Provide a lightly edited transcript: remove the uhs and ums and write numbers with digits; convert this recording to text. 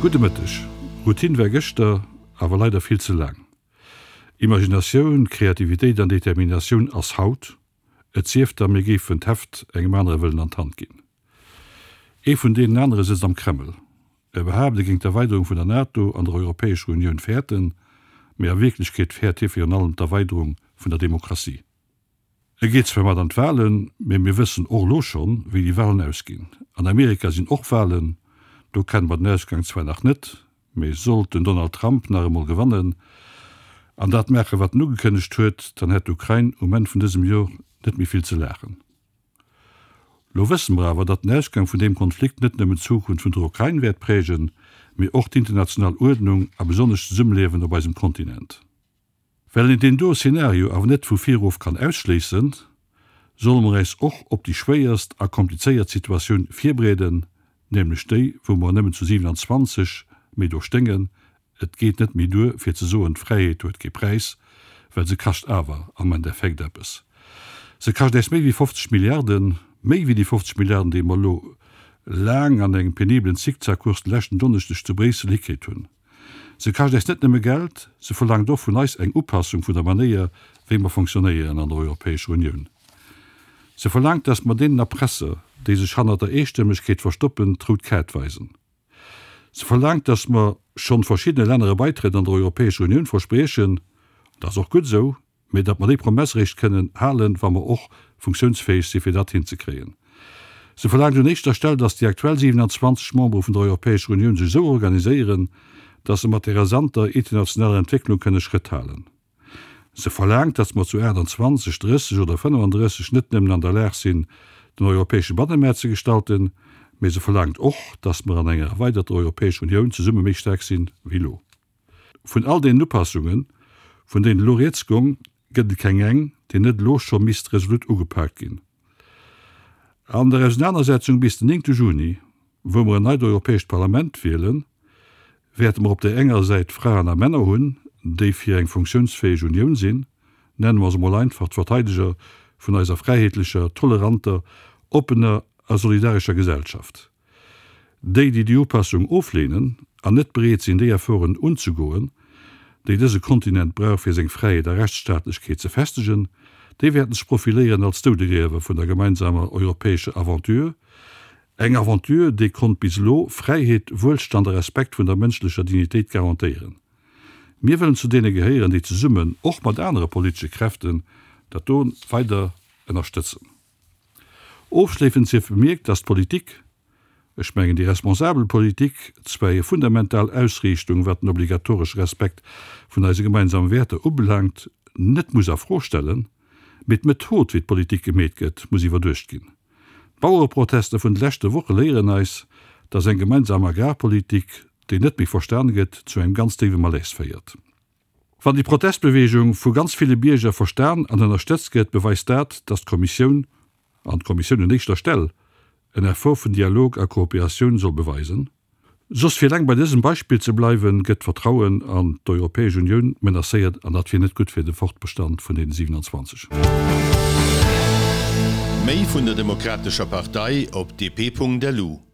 Gudde Mëtteg. Routine war gëschter, awer leider vill ze laang. Imaginatioun, Kreativitéit an Determinatioun ass haut. Et sief da mir géifen d'Heft engem anere wëllen an d'Hand ginn. Ee vun deenen anere sëtzt am Kreml. E behaapt, e géing d'Erweiderung vun der NATO an der Europäescher Unioun fäerten, mee a Wierklechkeet fäert hie virun allem d'Erweiderung vun der Demokratie. E geet zwar mat an d'Walen, mee mir wëssen och elo schonn, wéi déi Walen ausginn. An Amerika sinn och Walen, do kenne mer den Ausgang zwar nach net, mee sollt den Donald Trump nach emol gewannen an dat maachen, wat en ugekënnegt huet, dann hätt d'Ukrain um Enn vun dësem Jor net méi vill ze laachen. Lo wësse mer awer, datt den Ausgang vun deem Konflikt net nëmmen d'Zukunft vun der Ukrain wäert prägen, mee och d'international Uerdnung a besonnesch d'Zesummeliewen op eisem Kontinent. Well een deen doe Szenario awer net vu virof kann ausschléissen, solle mer äis och op déi schwéierst a komplizéiert Situatioun virbereeden, nämlech déi, wou mer nëmmen zu 27 méi do sténgen, Et geet net méi duer fir ze soen, d'Fräiheet huet kee Präis, well se kascht awer am Endeffekt eppes. Se kascht äis méi wéi 50 Milliarden, méi wéi déi 50 Milliarden, déi mer elo laang an engem penibelen Zickzackkurs de leschten Donneschdeg zu Bréissel hikritt hunn. Se kascht äis net nëmme Geld, se verlaangt och vun eis eng Upassung vun der Manéier, wéi mer fonctionnéieren an der Europäescher Unioun. Se verlaangt, dass mer deenen Erpresser, déi sech hannert der Eestëmmegkeet verstoppen, d'rout Kaart weisen. Se verlaangt, dass mer schonn verschiddene Länner e Beitrëtt an der Europäescher Unioun verspriechen, dat ass och gutt esou, mee datt mer déi Promess eréischt kënnen halen, wa mer och funktiounsfäeg si fir dat hinzekréien. Se verlaangt un éischter Stell, datt déi aktuell 27 Membere vun der Europäescher Unioun sech esou organiséieren, datt se mat der rasanter internationaler Entwécklung kënne Schrëtt halen. Se verlaangt, datt mer zu 28, 30 oder 35 net nëmmen an der Lag sinn, den europäesche Bannemaart ze gestalten, mee se verlaangt och, datt mer an enger erweiderter Europäescher Unioun zesumme méi staark sinn wéi elo. Vun all deenen Upassungen, vun deenen elo rieds gong, gëtt et keng eng, déi net elo scho misst resolut ugepaakt ginn. An der Ausenanersetzung bis den 9 Juni, wou mer en neit Europäescht Parlament wielen, wäerte mer op där enger Säit Fraen a Männer hunn, déi fir eng funktiounsfäeg Unioun sinn, nenne mer se mol einfach d'Verteideger vun eiser fräiheetlecher, toleranter, oppener a solidarescher Gesellschaft. Déi, déi déi Upassung ofleenen an net bereet sinn, déi Efforten unzegoen, déi dëse Kontinent brauch, fir seng Fräiheet a Rechtsstaatlechkeet ze festegen, déi wäerten sech profiléieren als Doudegriewer vun der gemeinsamer europäescher Aventure, eng Aventure, déi konnt bis elo Fräiheet, Wuelstand a Respekt vun der mënschlecher Dignitéit garantéieren. Mir wëllen zu deene gehéieren, déi zesummen, och mat anere politesche Kräften, dat do weider ënnerstëtzen. Ofschléissend sief bemierkt, dass d'Politik, ech mengen déi responsabel Politik, zwar hir fundamental Ausriichtung, wat den obligatoresche Respekt vun eise gemeinsame Wäerter ubelaangt, net muss a Fro stellen, mee d'Method, wéi d'Politik gemeet gëtt, muss iwwerduecht ginn. D'Bauereprotester vun de leschte Woche léieren eis, dass eng gemeinsam Agrarpolitik, déi net méi verstan gëtt, zu engem ganz déiwe Malaise féiert. Wann déi Protestbewegung vu ganz ville Bierger verstan an ënnerstëtzt gëtt, beweist dat, datt d'Kommissioun, an d'Kommissioun un éischter Stell, en Effort vun Dialog a Kooperatioun soll beweisen. Soss, fir eleng bei dësem Beispill ze bleiwen, gëtt d'Vertrauen an d'Europäesch Unioun menacéiert, an dat wier net gutt fir de Fortbestand vun deene 27. Méi vun der Demokratescher Partei op dp.lu.